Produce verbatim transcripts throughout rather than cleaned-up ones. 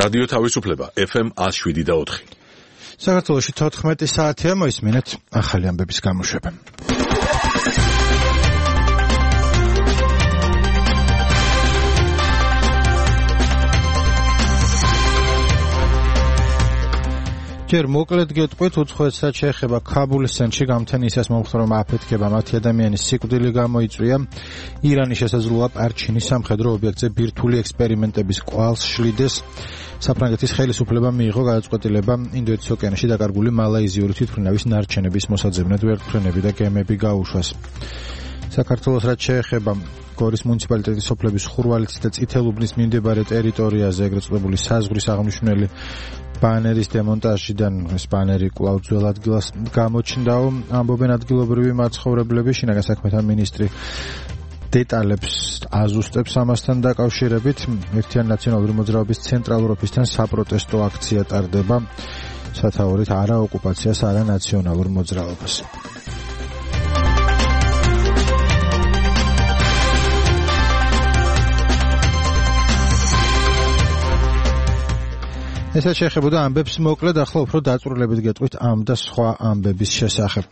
რადიო თავისუფლება ეფ ემ one oh seven და four. საქართველოში თოთხმეტი საათია, მოისმინეთ ახალი ამბების გამოშვება. ჯერ მოკლედ გეტყვით უცხოეთს რაც შეეხება ქაბულის ცენტრში გამთენისას მომხდარმა აფეთქება მათი ადამიანის სიკვდილი გამოიწვია. ირანის შესაძლოა პარჩინის სამხედრო ობიექტზე ბირთვული ექსპერიმენტების კვალს შლიდეს. საფრანგეთის ხელისუფლება მიიღო გადაწყვეტილება ინდოეთის ოკეანეში დაკარგული მალაიზიური თვითმფრინავის ნარჩენების მოსაძებნად ვერტმფრენები და გემები გაუშვას. საქართველოს რაც შეეხება გორის მუნიციპალიტეტის სოფლების ხურვალიცის და წითელუბნის მიმდებარე ტერიტორიაზე ეგრეთ წოდებული საზღვრის აღნიშნული ბანერის დემონტაჟიდან ეს ბანერი კვლავ ძველ ადგილას გამოჩნდაო, ამბობენ ადგილობრივი მაცხოვრებლები. შინაგან საქმეთა მინისტრი დეტალებს აზუსტებს ამასთან დაკავშირებით. ერთიანი ნაციონალური მოძრაობის ცენტრალურ ოფისთან საპროტესტო აქცია ტარდება, სათაურით არა ოკუპაციას, არა ნაციონალურ მოძრაობას. ესაც შეეხებოდა ამბებს მოკლედ, ახლა უფრო დაწვრილებით გეტყვით ამ და სხვა ამბების შესახებ.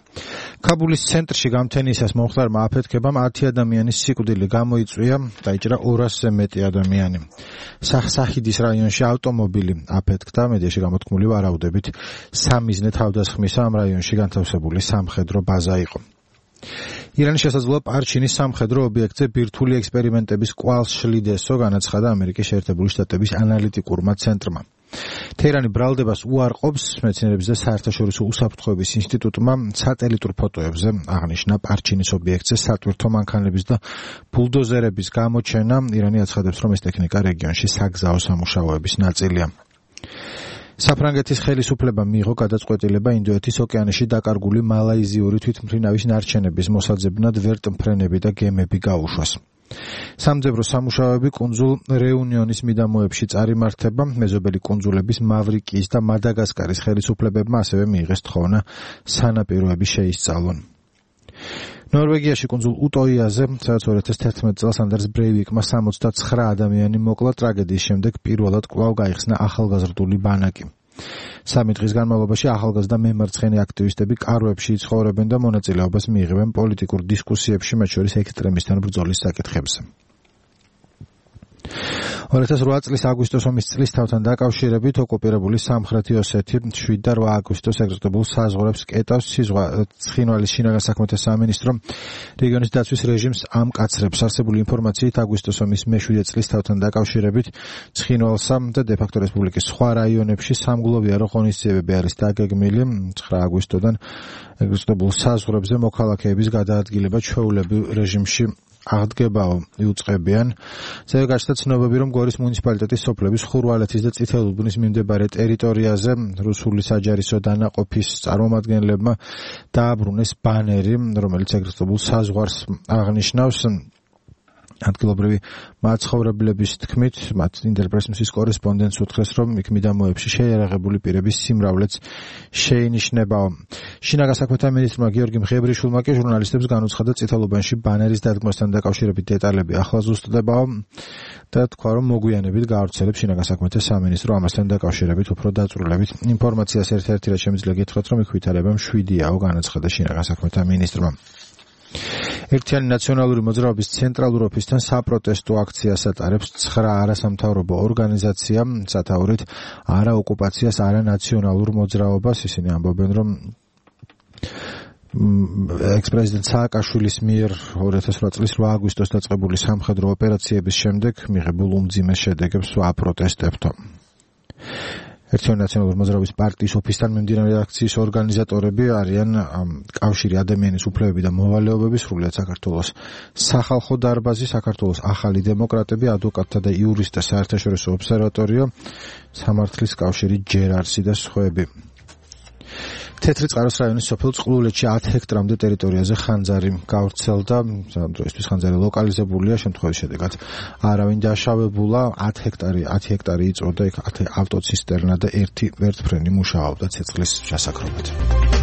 ქაბულის ცენტრში გამთენისას მომხდარმა აფეთქებამ ათი ადამიანის სიკვდილი გამოიწვია, დაიჭრა ორასზე მეტი ადამიანი. სახსახიდის რაიონში ავტომობილი აფეთქდა, მედიაში გამოთქმული ვარაუდებით სამიზნე თავდასხმისა ამ რაიონში განთავსებული სამხედრო ბაზა იყო. ირანის შესაძლოა პარჩინის სამხედრო ობიექტზე ბირთვული ექსპერიმენტების კვალს შლიდესო, განაცხადა ამერიკის შეერთებული შტატების ანალიტიკურმა ცენტრმა. თეირანი ბრალდებას უარყოფს, მეცნიერების და საერთაშორისო უსაფრთხოების ინსტიტუტმა სატელიტურ ფოტოებზე აღნიშნა პარჩინის ობიექტზე სატვირთო მანქანების და ბულდოზერების გამოჩენა. ირანი აცხადებს, რომ ეს ტექნიკა რეგიონში საგზაო სამუშაოების ნაწილია. საფრანგეთის ხელისუფლება მიიღო გადაწყვეტილება ინდოეთის ოკეანეში დაკარგული მალაიზიური თვითმფრინავის ნარჩენების მოსაძებნად ვერტმფრენები და გემები გაუშვას. სამძებრო სამუშაოები კუნძულ რეუნიონის მიდამოებში წარიმართება. მეზობელი კუნძულების მავრიკიის და მადაგასკარის ხელისუფლებებმა ასევე მიიღეს თხოვნა სანაპიროები შეისწავლონ. ნორვეგიაში კუნძულ უტოიაზე, სადაც ორი ათას თერთმეტ წელს ანდერს ბრეივიკმა სამოცდაცხრა ადამიანი მოკლა, ტრაგედიის შემდეგ პირველად კვლავ გაიხსნა ახალგაზრდული ბანაკი. სამი დღის განმავლობაში ახალგაზრდა მემარცხენე აქტივისტები კარვებში იცხოვრებენ და მონაწილეობას მიიღებენ პოლიტიკურ დისკუსიებში, მათ შორის ექსტრემისთან ბრძოლის საკითხებზე. ორი ათას რვა წლის აგვისტოს ომის წლისთავთან დაკავშირებით ოკუპირებული სამხრეთი ოსეთი შვიდ და რვა აგვისტოს ეგრეთ წოდებულ საზღვრებს კეტავს. ცხინვალის შინაგან საქმეთა სამინისტრო რეგიონის დაცვის რეჟიმს ამკაცრებს. არსებული ინფორმაციით აგვისტოს ომის მეშვიდე წლისთავთან დაკავშირებით ცხინვალსა და დე-ფაქტო რესპუბლიკის სხვა რაიონებში სამგლოვიარო ღონისძიებები არის დაგეგმილი. ცხრა აგვისტოდან ეგრეთ წოდებულ საზღვრებზე მოქალაქეების გადაადგილება ჩვეულებრივ რეჟიმში აღდგებაო იუწყებიან. ასევე გაჩნდა ცნობები, რომ გორის მუნიციპალიტეტის სოფლების ხურვალეთის და წითელუბნის მიმდებარე ტერიტორიაზე რუსული საჯარისო დანაყოფის წარმომადგენლებმა დააბრუნეს ბანერი, რომელიც ეგრეთ წოდებულ საზღვარს აღნიშნავს. ადგილობრივი მაცხოვრებლების თქმით, მათ ინტერპრესის კორესპონდენტს უთხრეს, რომ იქ მიდამოებში შეიარაღებული პირების სიმრავლეც შეინიშნებაო. შინაგან საქმეთა მინისტრმა გიორგი მღებრიშვილმა კი ჟურნალისტებს განუცხადა წითელუბანში ბანერის დადგმასთან დაკავშირებით დეტალები ახლა ზუსტდებაო და თქვა, რომ მოგვიანებით გაავრცელებს შინაგან საქმეთა სამინისტრო ამასთან დაკავშირებით უფრო დაწვრილებით ინფორმაციას. ერთ-ერთი რაც შემიძლია გითხრათ, რომ იქ ვითარება მშვიდიაო, განაცხადა შინაგან საქმეთა მინისტრმა. ერთიანი ნაციონალური მოძრაობის ცენტრალურ ოფისთან საპროტესტო აქციას ატარებს ცხრა არასამთავრობო ორგანიზაცია, სათაურით არა ოკუპაციას, არა ნაციონალურ მოძრაობას. ისინი ამბობენ, რომ ექს-პრეზიდენტ სააკაშვილის მიერ ორი ათას რვა წლის რვა აგვისტოს დაწყებული სამხედრო ოპერაციების შემდეგ მიღებულ უმძიმეს შედეგებს ვაპროტესტებთო. ერთიანი ნაციონალური მოძრაობის პარტიის ოფისთან მიმდინარე აქციის ორგანიზატორები არიან კავშირი ადამიანის უფლებები და მოვალეობები, სრულიად საქართველოს სახალხო დარბაზი, საქართველოს ახალი დემოკრატები, ადვოკატთა და იურისტთა საერთაშორისო ობსერვატორიო, სამართლის კავშირი ჯერარსი და სხვები. თეთრი წყაროს რაიონის სოფელ წყლულეთში ათ ჰექტრამდე ტერიტორიაზე ხანძარი გავრცელდა. ამ დროისთვის ხანძარი ლოკალიზებულია, შემთხვევის შედეგად არავინ დაშავებულა. ათ ჰექტარი ათი ჰექტარი იწოდა, იქ ათი ავტოცისტერნა და ერთი ვერტმფრენი მუშაობდა ცეცხლის ჩასაქრობად.